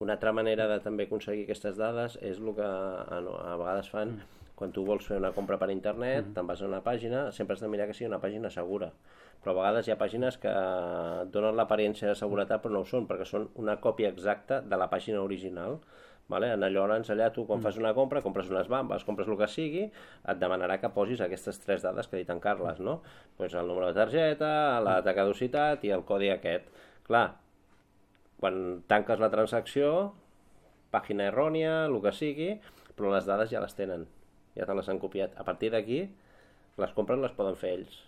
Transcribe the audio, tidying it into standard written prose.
Una altra manera de també aconseguir aquestes dades és el que a vegades fan quan tu vols fer una compra per internet, te'n vas a una pàgina, sempre has de mirar que sigui una pàgina segura. Però a vegades hi ha pàgines que donen l'apariència de seguretat però no ho són, perquè són una còpia exacta de la pàgina original. Vale? Llavors allà tu quan fas una compra, compres unes bambes, compres el que sigui, et demanarà que posis aquestes tres dades que ha dit en Carles, no? Pues el número de targeta, la data de caducitat i el codi aquest. Clar, quan tanques la transacció, pàgina errònia, el que sigui, però les dades ja les tenen, ja te les han copiat. A partir d'aquí, les compres les poden fer ells.